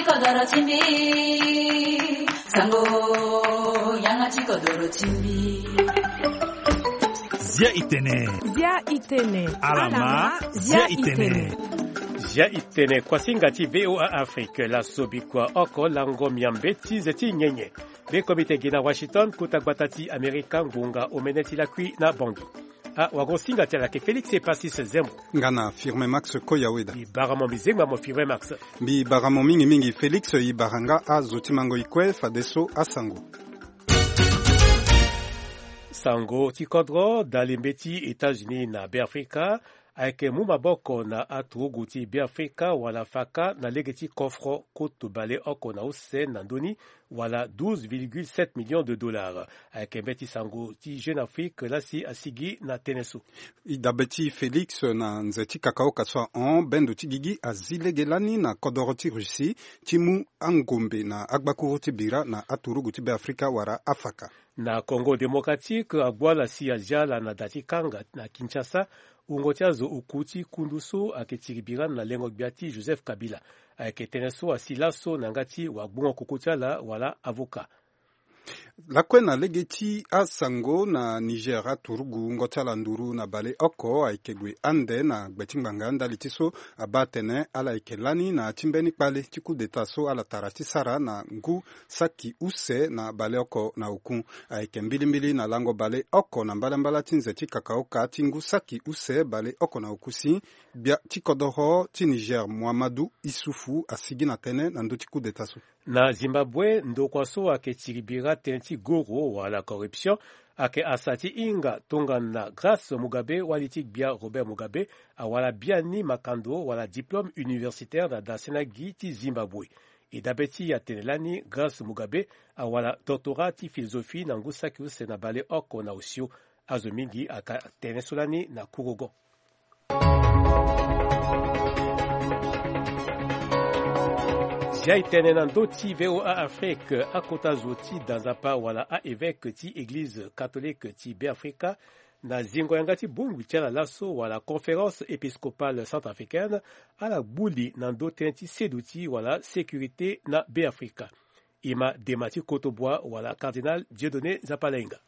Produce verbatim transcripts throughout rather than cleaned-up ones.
Kodoro ti mbi, sango, yanga ti kodoro ti mbi. Zia itene. Zia itene. Alama, zia itene. Zia itene, kuasinga ti V O A Afrique, laso bikua oko lango miambe ti ze ti nyenye. Be komite gi na Washington, kota gbata ti Amerika, ngonga omene ti lakui na Bangui. Ah, wago singa ti ala ke Félix Epasis Zembo. Nga na Firmin Max Koyaweda. Mbi bara mo mbi zengba mo Firmin Max. Mbi bara mo mingi mingi Félix, i bara nga azo ti mango i kue fadeso asango. Sango ti kodro, dalembe ti États-Unis na Beafrika ayeke mu maboko na aturugu ti Beafrika wala faka na lege ti kofro kutu baleoko na use na ndö ni, wala douze virgule sept millions de dollars. Ayeke mbeti sango ti Jeune Afrique lasi asigi na tënë so. E dabe ti Félix, na nze ti kakaoka so ahon, bendo ti gigi azi lege lani na kodoro ti Russie ti mu angombe na agbakuru ti bira na aturugu ti Beafrika wala afaka. Na Congo Démocratique, agbua ala si azia ala na da ti kanga na Kinshasa, wungo ti azo oku ti kundu so ayeke tiri bira na lengo gbia ti Joseph Kabila. Ayeke tënë so asi laso na yanga ti wagbongo koko ti ala wala avocat. Lakue na lege ti asango, na Niger, aturugu wungo ti ala nduru na baleoko ayeke gue ande na gbe ti ngbanga ndali ti so abaa atene ala yeke lani na ya ti mbeni kpale ti coup d'État so ala tara ti sara na ngu saki use na baleoko na oku. Ayeke mbilimbili na lango baleoko na mbalambala ti nze ti kakaoka ti ngu saki use baleoko na oku si, gbia ti kodoro ti Niger, Muhammadu Issoufou, asigi na tënë na ndö ti coup d'État so. Na Zimbabwe, ndokua so ayeke tiri bira tënë ti goro wala corruption ayeke asa ti hinga tongana Grace Mugabe, wali ti gbia Robert Mugabe, awara biani makando wala diplôme universitaire na dasena gi ti Zimbabwe. E dabe ti atene lani Grace Mugabe awara doctorat ti philosophie na ngu saki use na baleoko na osio. Azo mingi aka tene so lani na kurugo. Zia e tene na ndö ti V O A Afrique, akota zo ti da nzapa wala a-évêque ti église catholique ti Beafrika, na zingo yanga ti bongbi ti ala laso wala conférence épiscopale centrafricaine, ala gbu li na ndö tënë ti seduti wala sécurité na Beafrika. E ma dema ti kotobua wala cardinal Dieudonné Nzapalainga.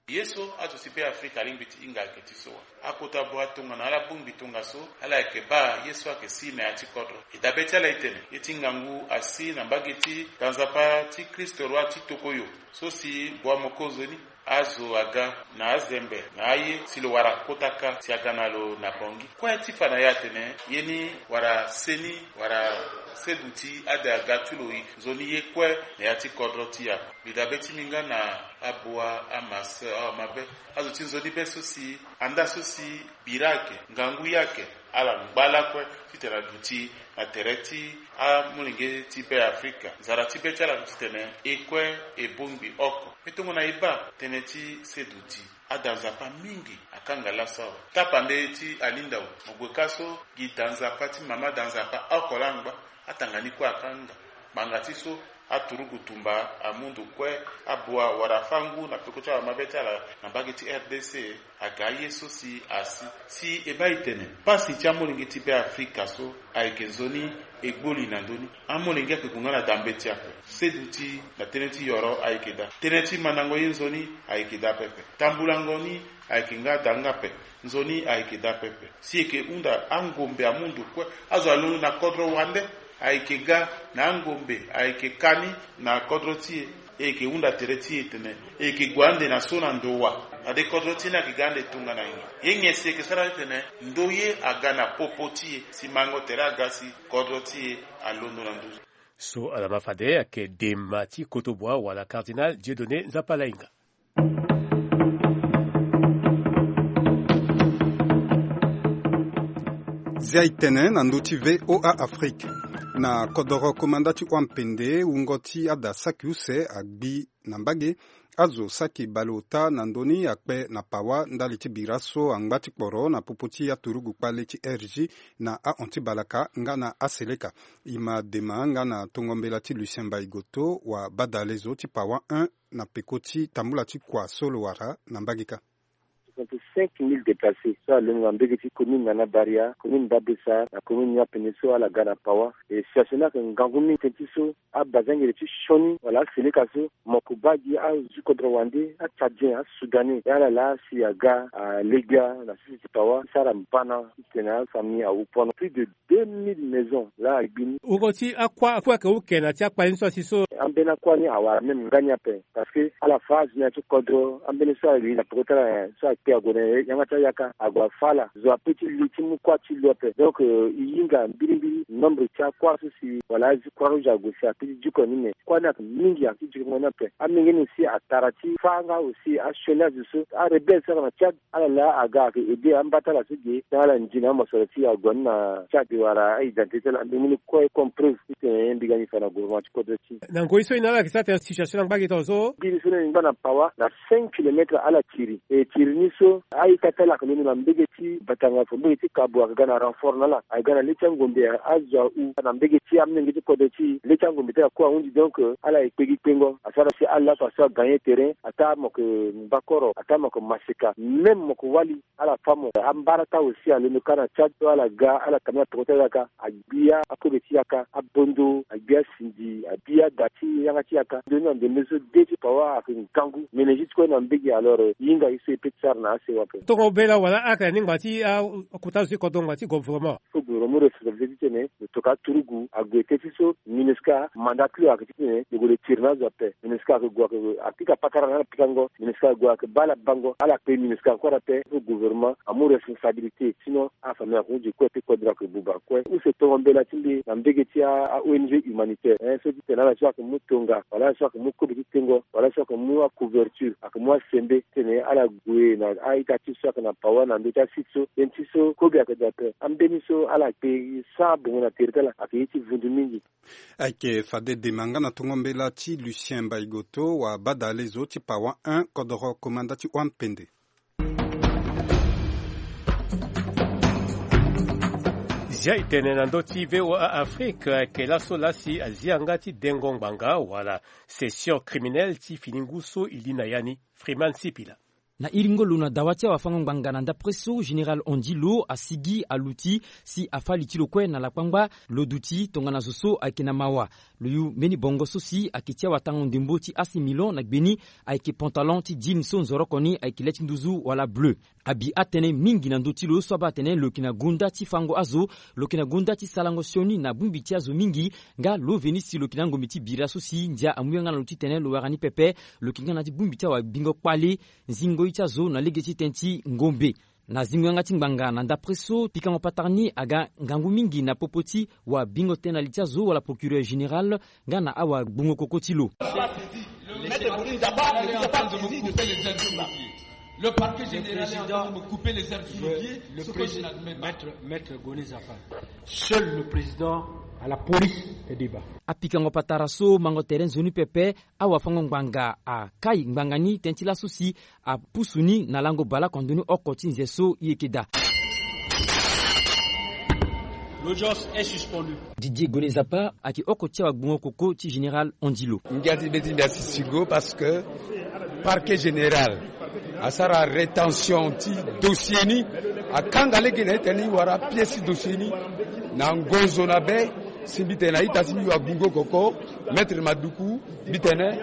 Ye so azo ti Beafrika alingbi ti hinga ayeke ti so wa. Akota bua tongana ala bongbi tongaso, ala yeke baa ye so ayeke si na ya ti kodro. E dabe ti ala e tene ye ti ngangu asi na mbage ti da nzapa ti Kristo roi ti tokoyo so si bua moko nzoni. Azo aga na azembe na aye si lo wara kota ka si aga na lo na Bangui. Kue ti fa na ye atene ye ni wara seni wara seduti ade aga ti lo e nzoni ye kue na ya ti kodro ti e ako. Mbi dabe ti mbi nga na abua, amaso, awamabe, azo ti nzoni be so si anda so si bira ayeke, ngangu ye ayeke, ala ngba lakue titene aduti na tere ti amolenge ti Beafrika. Nzara ti be ti ala aduti titene e kue e bongbi oko. Mbi tongana e baa tënë ti seduti, ada nzapa mingi akanga laso awe. Tapande ti alinda awe, mo gue ka so gi da nzapa ti mama da nzapa oko laa angba. Atanga ni kue akanga. Ngbanga ti so aturugu tumba amu ndo kue abua wala afa ngu na peko ti awamabe ti ala na mbage ti R D C. Aga aye so si asi si e baa e tene pasi ti amolenge ti Beafrika so ayeke nzoni e gbu li na ndö ni. Amolenge ayeke gue nga na da mbeti ape. Seduti na tënë ti yoro ayeke daa. Tënë ti mandango ye nzoni ayeke daa pepe. Tambulango ni ayeke nga daa nga ape. Nzoni ayeke daa pepe. Si e yeke hunda angombe amu ndo kue. Azo alondo na kodro wande. Ayeke ga na angombe, ayeke ka ni na kodro ti e. E yeke hunda tere ti e tene e yeke gue ande na so na ndo wa. Fade kodro ti e ni ayeke ga ande tongana nyen? Ye nyen si e yeke sara ti tene ndo ye aga na popo ti e si mango tere aga si kodro ti e alondo na nduzu? So ala ma fade ayeke dema ti kotobua wala cardinal Dieudonné Nzapalainga. Zia e tene na ndö ti V O A Afrique. Na kodoro komanda ti Wampende, wungo ti ada saki use agbi na mbage. Azo saki baleota na ndö ni akpe na pawa ndali ti bira so angba ti kporo na popo ti aturugu kpale ti R G na ahon ti Balaka nga na Aseleka. E ma dema nga na tongo mbela ti Lucien Mbaye Goto wa badalezo ti pawa un na peko ti tambula ti kua so lo wara na mbage kâ. Trente-cinq mille déplacés so alondo na mbege ti commune Nana Baria, commune Babesa na commune Niapene so ala ga na Pawa. E situation ni ayeke ngangu mingi tënë ti so abazengere ti sioni wala aseleka so moko baa gi azu kodro wande, atchadien, asoudanais, e ala laa si aga alegbia na sese ti Pawa ti sara mbana titene afamille awu pono. Plus de deux mille maisons laa agbi ni. Woko ti akua akue ayeke uke na ti akpali ni so asi so. Ambeni akua ni awara même nga ni ape. Parce que ala fa azo ni na ti kodro, ambeni so ali na peko ti ala nyen so akpe ague na yanga ti ayaka ague afa ala. Zo ape ti li ti mu kua ti lo ape. Donc, euh, e hinga mbirimbiri nombre ti akua so si wala azi Croix Rouge ague si ape ti diko ni, mais kua ni ayeke mingi, ayeke ti diko ni ape. Amenge ni aussi atara ti fa nga aussi asioni azo so arebelle so ayeke na Tchad. Ala laa aga ayeke aidé amba ti ala so ge, tënë ala ndi na amosoro ti ague ni na Tchad wala a-identité ti ala, ambeni ni kue comme preuve titene mbi ga ni fa na gouvernement ti kodro ti. Na ngoi so e na ala yeke sara tene situation ni angba gi tongaso. Mbiri so ni ngba na Pawa na cinq kilomètres ala tiri. E tiri ni so a-ita ti ala ayeke londo na mbege ti Batanga, fo mbege ti Kabo, ayeke ga na renfort na ala, ayeke ga na le ti angombe, azo ahu na mbege ti amolenge ti kodro ti e. Le ti angombe ti ala kue ahunzi, donc, euh, ala yeke kpe gi kpengo. Asara si ala fa so agagner terrain, ataa mo yeke Mbakoro, ataa mo yeke Maseka, même mo yeke Wali. Ala fa mo. Ambara ti awe si alondo kâ na Tchad so ala ga, ala tambula peko ti ala yaka, agbia akobe ti yaka, abondo, agbia sindi, abi ada ti yanga ti yaka. Ndoni na ndembe so de ti Pawa ayeke ngangu, mene juste kue na mbege. Alors, e hinga ye so e peut ti sara na asewa ape. Tongo bela wala aka ni ngba ti akota zo ti kodro ngba ti gouvernement. Fo gouvernement responsabilité titene lo toka aturugu ague teti so MINUSCA mandat ti lo ayeke titene lo gue lo tiri na azo ape. MINUSCA ayeke gue ayeke apika patara na ala pikango. MINUSCA ayeke gue ayeke baa ala bango. Ala kpe MINUSCA encore ape. Fo gouvernement amu responsabilité, sinon afamille ayeke hunda kue ti kodro ayeke buba kue. Use tongo mbela ti mbi na mbege ti a-ONG humanitaire, hein, so titene ala so ayeke mu tonga wala ala so ayeke mu kobe ti tengo wala ala so ayeke mu acouverture, ayeke mu asembe titene ala gue na a-ita ti so ayeke na Pawa na ndö ti asite so. Tënë ti so kobe ayeke daa ape. Ambeni so ala kpe sara bongo na tere ti ala ayeke ye ti vundu mingi. Ayeke fade dema nga na tongo mbela ti Lucien Mbaïgoto wa badale zo ti Pawa un, kodoro komanda ti Oan Pende. Zia e tene na ndö ti VOA Afrique, ayeke laso laa si azia nga ti dengo ngbanga wala session criminelle ti fini ngu so e li na ya ni. Freeman Sipila. Na iri ngolo na dawa ti awafango-ngbanga na ndapre so, Général Andilo asigi aluti si afa li ti lo kue na lakpangba, lo duti tongana zo so ayeke na mawa. Lo yu mbeni bongo so si ayeke ti awatango ndembo ti A C Milan na gbe ni, ayeke pantalon ti jean so nzoroko ni ayeke le ti nduzu wala bleu. Abi atënë mingi na ndö ti lo so abaa atene lo yeke na gonda ti fango azo, lo yeke na gonda ti sarango sioni na bongbi ti azo mingi, nga lo veni si lo yeke na ngombe ti bira so si ndia amu yanga na lo titene lo wara ni pepe. Lo yeke nga na ya ti bongbi ti awabingo kpale, zingo ye ti azo na lege ti tënë ti ngombe. Na zingo yanga ti ngbanga na ndapre so, pikango patara ni aga ngangu mingi na popo ti wabingo tënë na li ti azo wala procureur général nga na awagbungo koko ti lo. Le parquet général est en train de me couper les herbes sous le pied. Le parquet général est en train de me couper les herbes sous le pied, ce que je n'admets pas. Maître, Maître Goni Zapa, seul le président à la police est débat. Apikango patara so mango tere nzoni pepe, awafango-ngbanga akai ngbanga ni tënë ti laso si apusu ni na lango baleoko ndo ni oko ti nze so e yeke daa. L'audience est suspendue. Didier Gonezapa ayeke oko ti awagbungo koko ti Général Andilo. Ngia ti be ti mbi asi singo parce que parquet général asara rétention ti dossier ni, akanga lege na ita ni wara pièce ti dossier ni na ngonzo na be. Si mbi tene na ita ti mbi wagbungo koko, Maître Maduku, mbi tene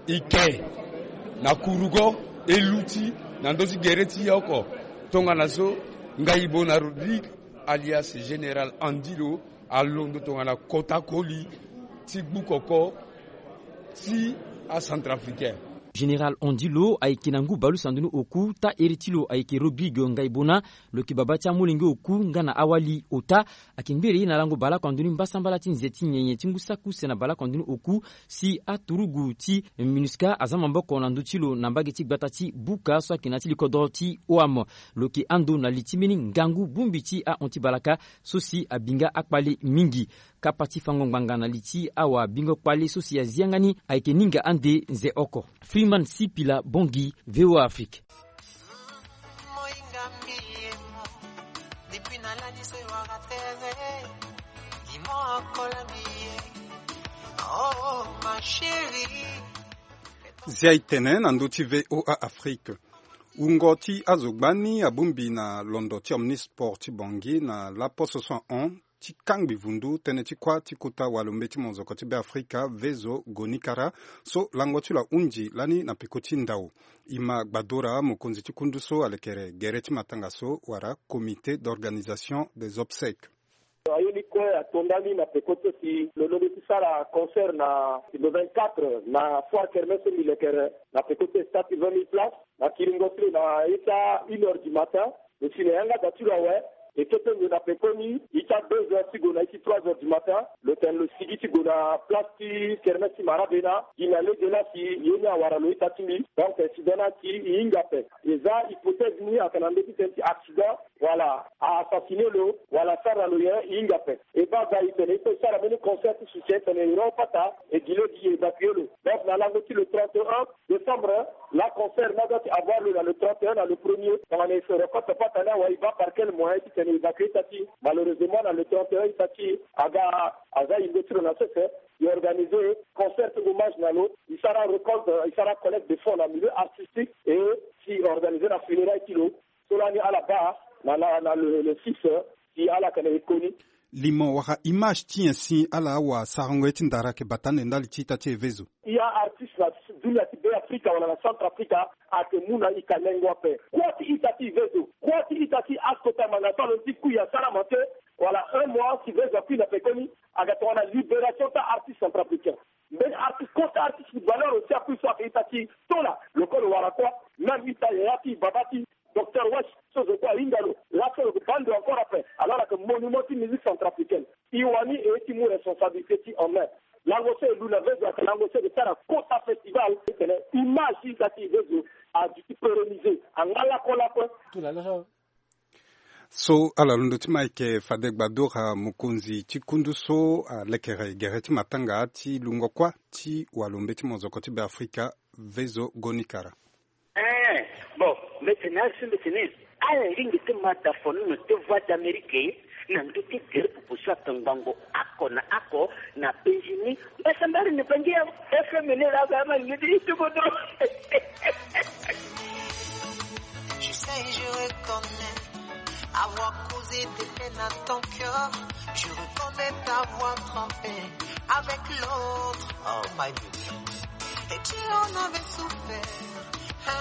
e ke na kurugo, e luti na ndö ti gere ti e oko. Tongana so Ngaibona Rodrigue alias Général Andilo alondo tongana kota koli ti gbu koko ti acentrafricain. Général Andilo ayeke na ngu baleuse na ndoni oku, taa iri ti lo ayeke Rodrigue Ngaibona. Lo yeke babâ ti amolenge oku nga na awali ota. Ayeke ngbere ye na lango baleoko na ndoni mbasambala ti nze ti nyenye ti ngu saki use na baleoko na ndoni oku, si aturugu ti MINUSCA aza maboko na ndö ti lo na mbage ti gbata ti Buka so ayeke na ya ti likodro ti O A M. Lo yeke ando na li ti mbeni ngangu bongbi ti ahon ti balaka so si abi nga akpale mingi. Kapa ti fango ngbanga na li ti awabingo kpale so si azi yanga ni ayeke ninga ande nze oko. Freeman Sipila Bongi, VOA Afrique. Zia e tene na ndö ti VOA Afrique. Wungo ti azo gbani abongbi na londo ti Omnisport ti Bangui na laposo so ahon ti kangbi vundu tënë ti kuâ ti kota walombe ti mozoko ti Beafrika Vezo Gonikara, so lango ti lo ahunzi lani na peko ti ndao. Ima Gbadora, mokonzi ti kundu so alekere gere ti matanga so wala Comité d'organisation des obsèques. Aye ni kue ato ndani na peko ti e si lo londo ti sara concert na le vingt-quatre na foire kermesse so mbi lekere na peko ti e, stade ti vingt mille places. Na kiringo ti lo na ye ti a une heure du matin, lo si na yanga da ti lo awe, e kete nze na pekoni, ye ti a deux heures ti gue na ye ti trois heures du matin, lo tene lo sigi ti gue na place ti kermesse ti Marabena, gi na lege laa si ye ni awara lo ita ti mbi. Donc, incident ni asi e hinga ape. E za hypothèse ni ayeke na ndö ti tene ti accident, wala a assassiner lo, wala asara lo nyen, e hinga ape. E baa ga e tene e peut sara mbeni concert ti soutien, e tene e ro pata, e gi lege e évacuer lo. Donc, na lango ti le trente et un décembre, la concert ni adoit ti avoir lo na le trente et un na le premier. Tongana e so reporte pata ni awe, e baa par quel moyen ti tene e évacuer ita ti. Malheureusement, na le trente et un ita ti aga aza yingo ti lo na sese. E organiser concert hommage na lo, e sara récolte, e sara collecte de fonds na milieu artistique, et si e organiser na funérailles ti lo. So lani ala baa na, na, na le, le six, si ala yeke na e koni. Limo wala image ti nyen si ala awasarango ye ti ndara ayeke bata ande ndali ti ita ti e Vezo? E a artiste na dunia ti Beafrika wala na Centrafrica ayeke mu na e kalengo ape. Kuâ ti ita ti e Vezo, kuâ ti ita ti e askota manga so alondo ti kui asara ma te, wala un mois si Vezo akui na pekoni, ayeke tongana libération ti a-artiste centrafricain. Mbeni artiste, kota artiste footballeur aussi akui so ayeke ita ti e. Tola lo kue lo wara kuâ. Même ita yaya ti e, baba ti e, Docteur Wesh, so zo kue ahinga lo. Laso lo yeke baa ndo encore ape. Alors ayeke monument ti musique centrafricaine. E wani e ye ti mu responsabilité ti e en main. Lango so e lu na Vezo ayeke lango so e yeke sara kota festival. E tene image ti ita ti e Vezo aduti pérenniser. Angba lakue lakue. So ala londo ti ma ayeke fade Gbadora, mokonzi ti kundu so alekere gere ti matanga ti lungo kuâ ti walombe ti mozoko ti Beafrika Vezo Gonikara. Eh, bon, mbi tene ari so mbi tene ala lingbi ti ma da fono na te Voix d'Amérique na ndö ti gere popo so atongbango oko na oko na Benjini. Mbasambari ni bangi ya F M ni laa ga ma lingbi ti ti kodro. Je sais, je reconnais avoir causé des peines à ton cœur. Je reconnais t'avoir trompé avec l'autre. Oh my baby. Et tu en avais souffert. Ah.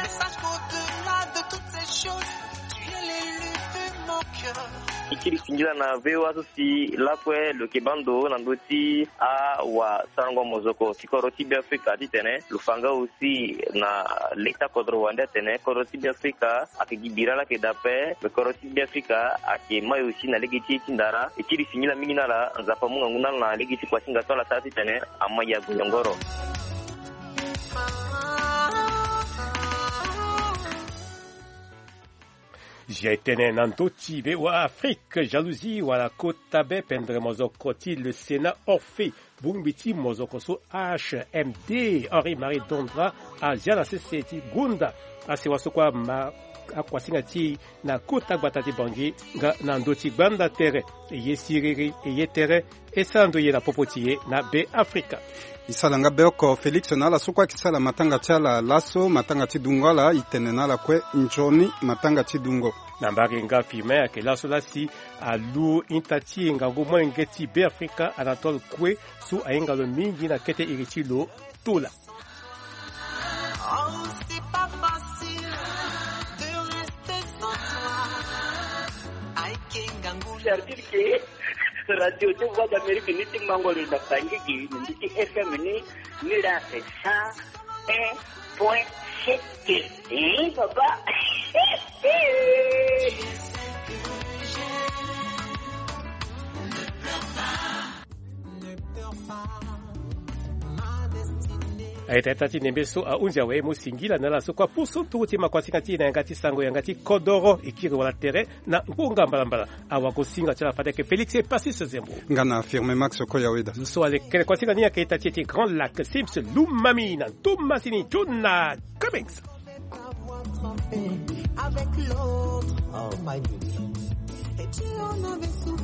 Mais sache qu'au-delà de toutes ces choses, tu es l'élu de mon cœur. E kiri singila na V O A so si lakue lo yeke baa ndo na ndö ti awasarango mozoko ti kodro ti Beafrika titene lo fa nga aussi na leta kodro wande atene kodro ti Beafrika ayeke gi bira laa ayeke daa ape. Me kodro ti Beafrika ayeke mai aussi na lege ti ye ti ndara. E kiri singila mingi na ala, Nzapa amu ngangu na ala na lege ti kua ti hinga so ala sara titene amai ague nyongoro. Zia e tene na ndö ti V O A Afrique, jalousie wala kota be pendere mozoko ti le Sénat Orphée, bongbi ti mozoko so H M D Henri Marie Dondra azia na sese ti gonda asewa so kue ama akuasinga ti e na kota gbata ti Bangui nga na ndö ti gbanda tere. E ye siriri, e ye tere, e sara ndo e ye na popo ti e na Beafrika. E sara nga be oko Félix na ala so kue ayeke sara matanga ti ala laso, matanga ti dungo ala, e tene na ala kue nzoni matanga ti dungo. Na mbage nga Firmin ayeke laso laa si alu ita ti e ngangu molenge ti Beafrika Anatole Koué so ahinga lo mingi na kete iri ti lo Tola. Oh, c'est pas facile de rester sans toi. Aïe, Kengangu. C'est-à-dire que Radio ti Voix d'Amérique ni ti mango lo na Bangui gi, ni ti F M ni, ni la c'est cent un point sept. Eh, papa. Aye, tata ti nembe so ahunzi awe, mo singila na ala so kue apusu ntungu ti makuasinga ti e na yanga ti sango yanga ti kodoro, e kiri wala tere na ngonga mbalambala. Awagosinga ti ala fade ayeke Félix Epasis Zembo. Nga na Firmin Max Okoya Weda. Zo so alekere kuasinga ni ayeke ita ti e ti Grand Lac, Sims Lumami na Thomasini Jona Cummings. Avec l'autre, oh my baby. Et tu en avais souffert.